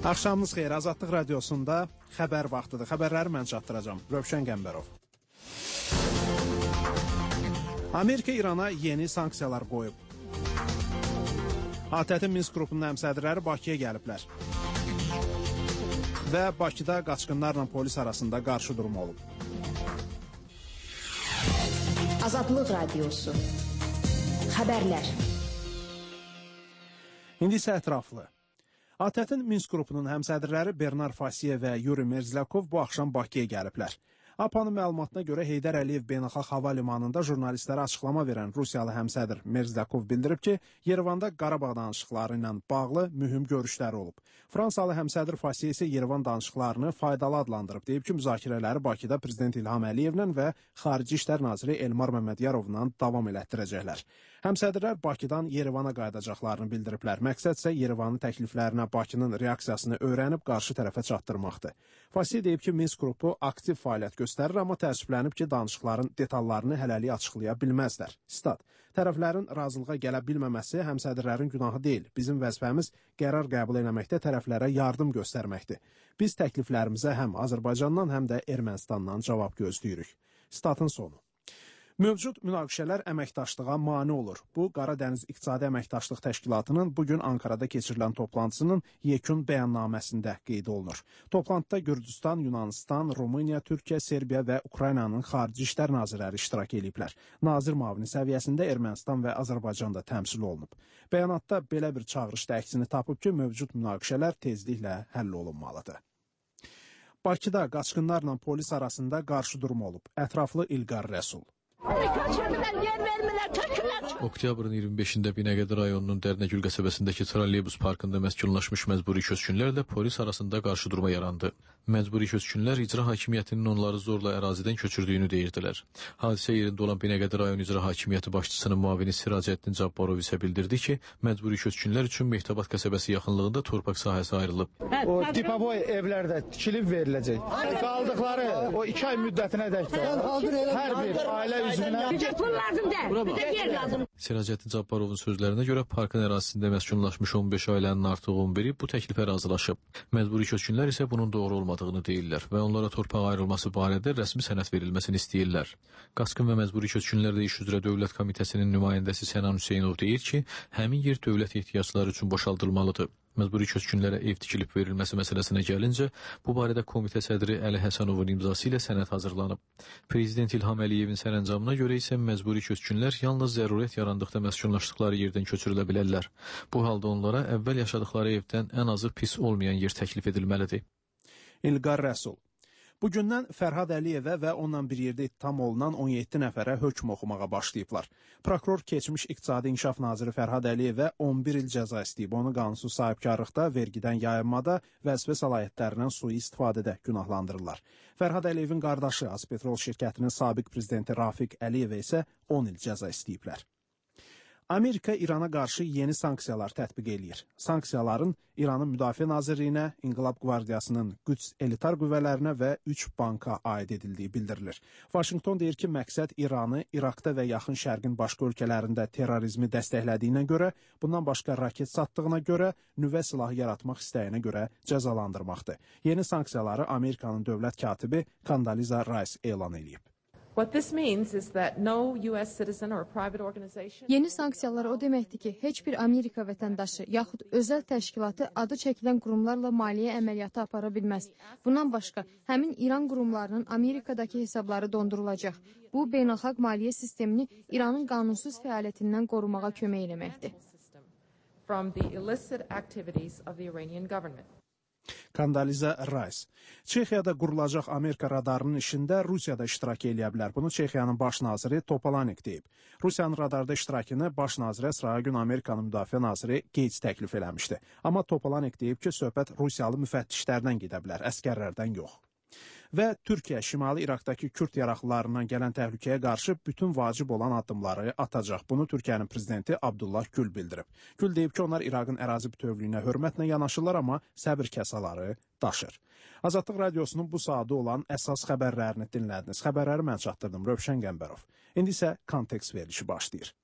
Axşamınız xeyir. Azadlıq radiosunda xəbər vaxtıdır. Xəbərləri mən çatdıracağam. Rövşən Qəmbərov. Amerika İrana yeni sanksiyalar qoyub. ATƏT-in Minsk qrupunun həmsədrləri Bakıya gəliblər. Və Bakıda qaçqınlarla polis arasında qarşı durum olub. Azadlıq radiosu. Xəbərlər. İndi isə ətraflı. ATƏT-in Minsk qrupunun həmsədrləri Bernar Fasiyev və Yuri Merzlyakov bu axşam Bakıya gəliblər. APA'nın məlumatına görə Heydər Əliyev Beynəlxalq Hava Limanında jurnalistlərə açıqlama verən Rusiyalı həmsədr Merzlyakov bildirib ki, Yerevanda Qarabağ danışıqları ilə bağlı mühüm görüşləri olub. Fransalı həmsədr Fasiyev isə Yerevan danışıqlarını faydalı adlandırıb. Deyib ki, müzakirələri Bakıda Prezident İlham Əliyevlə və Xarici İşlər Naziri Elmar Məmmədiyarovla davam elətdirəcəklər. Həmsədrlər Bakıdan Yerevana qayıdacaqlarını bildiriblər. Məqsəd isə Yerevanın təkliflərinə Bakının reaksiyasını öyrənib qarşı tərəfə çatdırmaqdır. Fasiyev deyib ki, Minsk qrupu aktiv fəaliyyət göstərir, amma təəssüflənib ki, danışıqların detallarını hələlik açıqlaya bilməzlər. Stat: tərəflərin razılığa gələ bilməməsi həmsədrlərin günahı deyil. Bizim vəzifəmiz qərar qəbul etməkdə tərəflərə yardım göstərməkdir. Biz təkliflərimizə həm Azərbaycandan, həm də Ermənistandan cavab gözləyirik. Statın sonu. Mövcud münaqişələr əməkdaşlığa mane olur. Bu, Qara Dəniz İqtisadi Əməkdaşlıq Təşkilatının bugün Ankarada keçirilən toplantısının yekun bəyannaməsində qeyd olunur. Toplantıda Gürcüstan, Yunanistan, Rumıniya, Türkiyə, Serbiya və Ukraynanın Xarici İşlər Nazirləri iştirak ediblər. Nazir müavini səviyyəsində Ermənistan və Azərbaycan da təmsil olunub. Bəyanatda belə bir çağırış da əksini tapıb ki, mövcud münaqişələr tezliklə həll olunmalıdır. Bakıda qaçqınlarla polis arasında qarşı durum olub. Ətraflı İlqar Rəsul. Oktyabrın 25-də Binəqədi rayonunun Dərnəgül qəsəbəsindəki trolleybus parkında məskunlaşmış məcburi köçkünlərlə polis arasında qarşı durma yarandı. Məcburi köçkünlər icra hakimiyyətinin onları zorla ərazidən köçürdüyünü deyirdilər. Hadisə yerində olan Binəqədi rayon icra hakimiyyəti başçısının müavini Siracəddin Cabbarov isə bildirdi ki, məcburi köçkünlər üçün Mehtabat qəsəbəsi yaxınlığında torpaq sahəsi ayrılıb. O tipaboy evlər də tikilib veriləcək. Qaldıqları o 2 ay müddətinə dək hər bir ailə Siracəddin Cabbarovun sözlərinə görə parkın ərazisində məskunlaşmış 15 ailənin artıq 11-i bu təklifə razılaşıb. Məcburi köçkünlər isə bunun doğru olmadığını deyirlər və onlara torpaq ayrılması barədə rəsmi sənəd verilməsini istəyirlər. Qaçqın və məcburi köçkünlərlə iş üzrə Dövlət Komitəsinin nümayəndəsi Sənan Hüseynov deyir ki, həmin yer dövlət ehtiyacları üçün boşaldılmalıdır. Məcburi köçkünlərə ev tikilib verilməsi məsələsinə gəlincə, bu barədə komitə sədri Əli Həsənovun imzası ilə sənəd hazırlanıb. Prezident İlham Əliyevin sərəncamına görə isə məcburi köçkünlər yalnız zərurət yarandıqda məskunlaşdıqları yerdən köçürülə bilərlər. Bu halda onlara əvvəl yaşadıqları evdən ən azı pis olmayan yer təklif edilməlidir. İlqar Rəsul. Bugündən Fərhad Əliyevə və onunla bir yerdə ittiham olunan 17 nəfərə hökm oxumağa başlayıblar. Prokuror keçmiş İqtisadi İnkişaf Naziri Fərhad Əliyevə 11 il cəza istəyib. Onu qanunsuz sahibkarlıqda, vergidən yayınmada, vəzifə səlahiyyətlərindən sui-istifadədə günahlandırırlar. Fərhad Əliyevin qardaşı Azpetrol şirkətinin sabiq prezidenti Rafiq Əliyevə isə 10 il cəza istəyiblər. Amerika İrana qarşı yeni sanksiyalar tətbiq eləyir. Sanksiyaların İranın Müdafiə Nazirliyinə, İnqilab Qvardiyasının Qüds elitar qüvvələrinə və 3 banka aid edildiyi bildirilir. Vaşinqton deyir ki, məqsəd İranı İraqda və Yaxın Şərqin başqa ölkələrində terrorizmi dəstəklədiyinə görə, bundan başqa raket satdığına görə, nüvə silahı yaratmaq istəyinə görə cəzalandırmaqdır. Yeni sanksiyaları Amerikanın dövlət katibi Condoleezza Rice elan edib. Yeni sanksiyalar o deməkdir ki, heç bir Amerika vətəndaşı yaxud özəl təşkilatı adı çəkilən qurumlarla maliyyə əməliyyatı apara bilməz. Bundan başqa, həmin İran qurumlarının Amerikadakı hesabları dondurulacaq. Bu, beynəlxalq maliyyə sistemini İranın qanunsuz fəaliyyətindən qorumağa kömək eləməkdir. Condoleezza Rice. Çexiyada qurulacaq Amerika radarının işində Rusiya da iştirak eləyə bilər. Bunu Çexiyanın baş naziri Topolanek deyib. Rusiyanın radarda iştirakını baş nazirə sıraya gün Amerikanın müdafiə naziri Gates təklif eləmişdi. Amma Topolanek deyib ki, söhbət Rusiyalı müfəttişlərdən gedə bilər, əskərlərdən yox. Və Türkiyə Şimali İraqdakı Kürd yaraqlılarından gələn təhlükəyə qarşı bütün vacib olan addımları atacaq. Bunu Türkiyənin prezidenti Abdullah Gül bildirib. Gül deyib ki, onlar İraqın ərazi bütövlüyünə hörmətlə yanaşırlar, amma səbir kasaları daşır. Azadlıq radiosunun bu saatı olan əsas xəbərlərini dinlədiniz. Xəbərləri mən çatdırdım. Rövşən Qəmbərov. İndi isə kontekst verilişi başlayır.